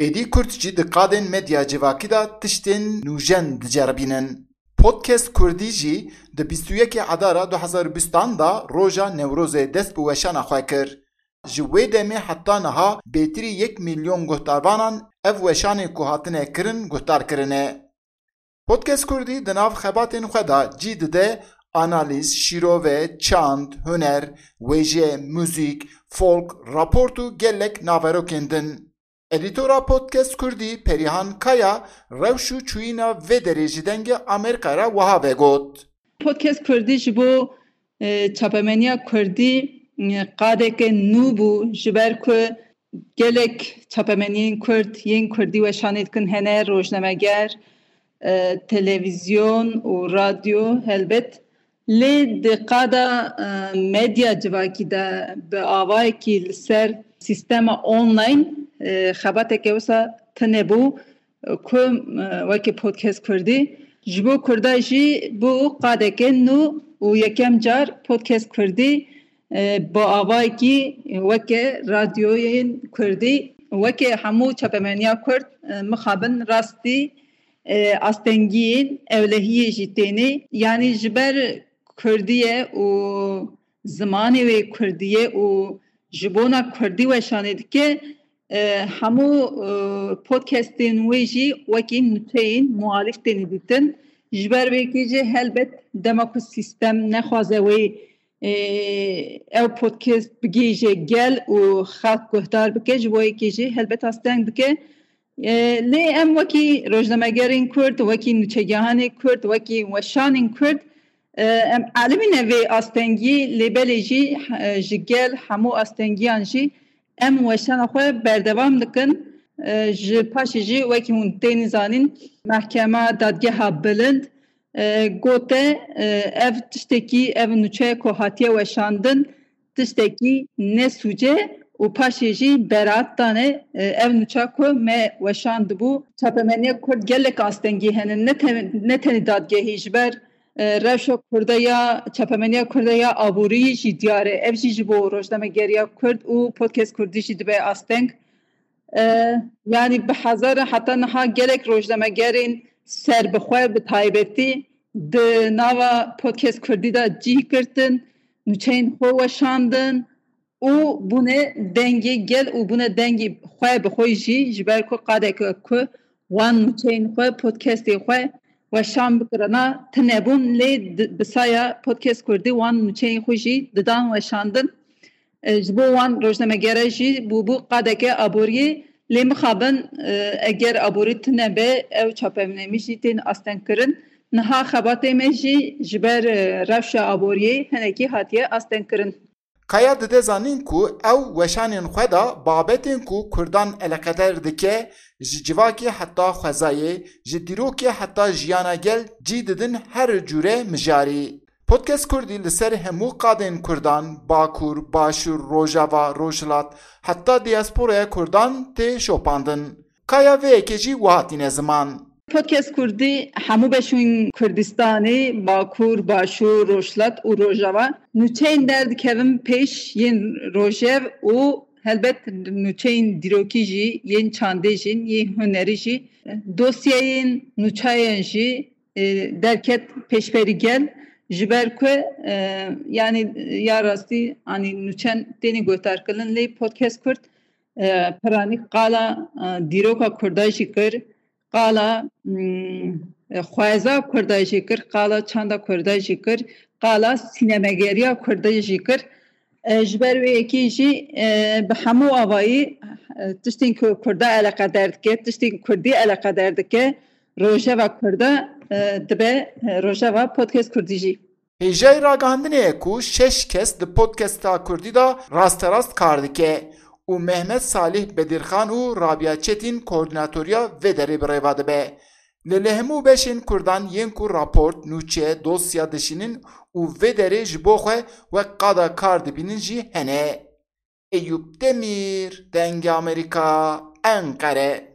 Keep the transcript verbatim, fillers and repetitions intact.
Êdî Kurd jî di qadên medya civakî de tiştên nûjen diceribînin. Podcast Kurdî jî di bîst û yekê Adara du hezar û bîstan de roja Newrozê dest bi weşana xwe kir. Ji wê demê heta niha bêtirî yek milyon guhdarvanan ev weşanê ku hatine kirin guhdar kirine. Podcast Kurdî di nav xebatên xwe de cî dide analîz, şîrove, çand, huner, wêje, muzîk, folk, raport û gelek naverokên din. Edîtora Podcast Kurdî Perihan Kaya rewş û çûyîna vê derê ji Dengê Amerîka re wiha vegot. Podcast Kurdî ji bo, e, çapemeniya Kurdî, e, qadeke nû bû, ji ber ku gelek çapemeniyên Kurd yên Kurdî weşanê dikin hene, rojnameger, e, televîzyon û radyo helbet. Lê di qada, e, medya civakî de bi avayekî li ser sîstema online, e, xebateke wisa tune bû, e, ku, e, weke Podcast Kurdî. Ji bo Kurda jî bû qadeke nû û yekem car Podcast Kurdî, e, bi avayekî weke radyoyên Kurdî, weke hemû çapemeniya Kurd, e, mixabin rastî, e, astengiyên ewlehiyê jî tênê. Yanî ji ber Kurdî ye û zimanê wê Kurdî ye û ji bona Kurdî weşanê dike, e, hemû, e, podcastên wê jî wekî nûçeyên muhalîf têne dîtin. Ji ber wê yekê jî helbet dema ku sîstem nexwaze wê, e, ew podcast bigihîje gel û xelk guhdar bike, ji bo yekê jî helbet asteng dike. E, lê em wekî rojnamegerên Kurd, wekî nûçegihanê Kurd, wekî weşanên Kurd, e, em elimîne vê astengiyê, lê belê jî, e, ji gel hemû astengiyan jî em weşana xwe berdewam dikin. E, ji paşê jî wekî hûn tênî zanîn, Mehkema Dadgeha Bilind, e, gote, e, ev tiştekî, ev nûçe ku hatiye weşandin, tiştekî ne sûc e û paşê jî beraat dane, e, ev nûça ku me weşandibû. Çapemeniya Kurd gelek astengî hene, ne te-, ne tenê dadgehî, ji ber, e, rewşa Kurda ya, çapemeniya Kurda ya aborî jî diyar e. Ev jî ji bo rojnamegeriya Kurd û Podcast Kurdî jî dibe asteng. E, yanî bi hezaran heta niha gelek rojnamegerên serbixwe bi taybetî di nava Podcast Kurdî de cih girtin, nûçeyên xwe weşandin û bûne dengê gel û bûne dengê xwe bi xwe jî, ji ber ku qadeke ku wan nûçeyên xwe, podcastê xwe weşan bikirina, tune bûn, lê di, bi saya Podcast Kurdî wan nûçeyên xwe jî didan weşandin. E, ji bo wan rojnamegere jî bûbû qadeke aboriyê, lê mixabin, e, eger aborî tune be, ew çapemnamî jî tên astengkirin. Niha xebatê me jî ji ber, e, rewşa aboriyê hinekî hatiye astengkirin. Kaya dide zanîn ku ew weşanên xwe de babetên ku Kurdan eleqeder dike, ji civakê heta xwezayê, ji dîrokê heta jiyana gel cî didin her cûre mijarî. Podcast Kurdî li ser hemû qadên Kurdan, Bakur, Başûr, Rojava, Rojhilat, heta diasporaya Kurdan tê şopandin. Kaya vê yekê jî wiha tîne ziman. Podcast Kurdî hemû beşên Kurdistanê, Bakur, Başûr, Rojhilat û Rojava, nûçeyên derdikevin pêş yên rojev û helbet nûçeyên dîrokî jî, yên çandê jî, yên hunerî jî, dosyayên nûçayan jî, e, derket pêşberî gel, ji ber ku, e, yanî ya rastî, anî nûçen têne guhdarkirin, lê Podcast Kurd, e, piranî qala, e, dîroka Kurda jî kir, qala, mm, e, xweza Kurda jî kir, qala çanda Kurda jî kir, qala sînemegeriya Kurda jî kir. E, ji ber wê yekê jî, e, bi hemû avayî, e, tiştên ku Kurda eleqeder dike, tiştên Kurdî eleqeder dike, rojeva Kurda, e, dibe, e, rojeva Podcast Kurdî jî. Hêjayî ragihandinê ye ku şeş kes di podcasta Kurdî de rasterast kar dike û Mehmet Salih Bedirxan û Rabia Çetin koordînatoriya vê derê bi rêva dibe. Lê li hemû beşên Kurdan yên ku raport, nûçe, dosya dişînin û vê derê ji bo xwe wek qada kar dibînin jî hene. Eyûp Demîr, Dengê Amerîka, Enqere.